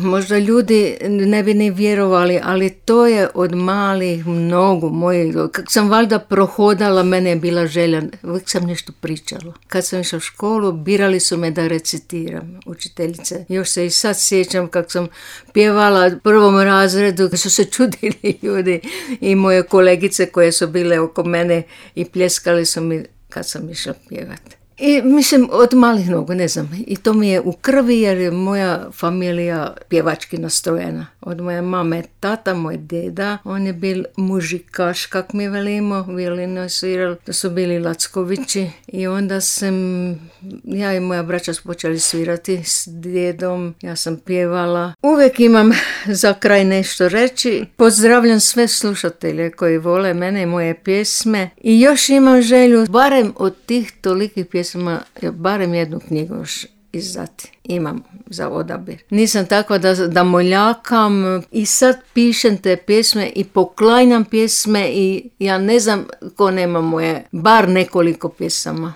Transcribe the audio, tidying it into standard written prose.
možda ljudi ne bi ni vjerovali, ali to je od malih mnogo mojih. Kako sam valjda prohodala, mene je bila želja, uvijek sam nešto pričala. Kad sam išla u školu, birali su me da recitiram, učiteljice. Još se i sad sjećam kako sam pjevala u prvom razredu, su se čudili ljudi i moje kolegice koje su bile oko mene i pljeskali su mi kad sam išla pjevati. I mislim, od malih nogu, ne znam, i to mi je u krvi jer je moja familija pjevački nastrojena. Od moje mame, tata, moj deda, on je bil mužikaš, kak mi velimo, violino je sviral, to su bili Lackovići i onda sam, ja i moja braća su počeli svirati s djedom, ja sam pjevala. Uvijek imam za kraj nešto reći, pozdravljam sve slušatelje koji vole mene i moje pjesme i još imam želju, barem od tih tolikih pjesma, barem jednu knjigu još izdati. Imam za odabir. Nisam takva da moljakam i sad pišem te pjesme i poklanjam pjesme i ja ne znam ko nema moje, bar nekoliko pjesama.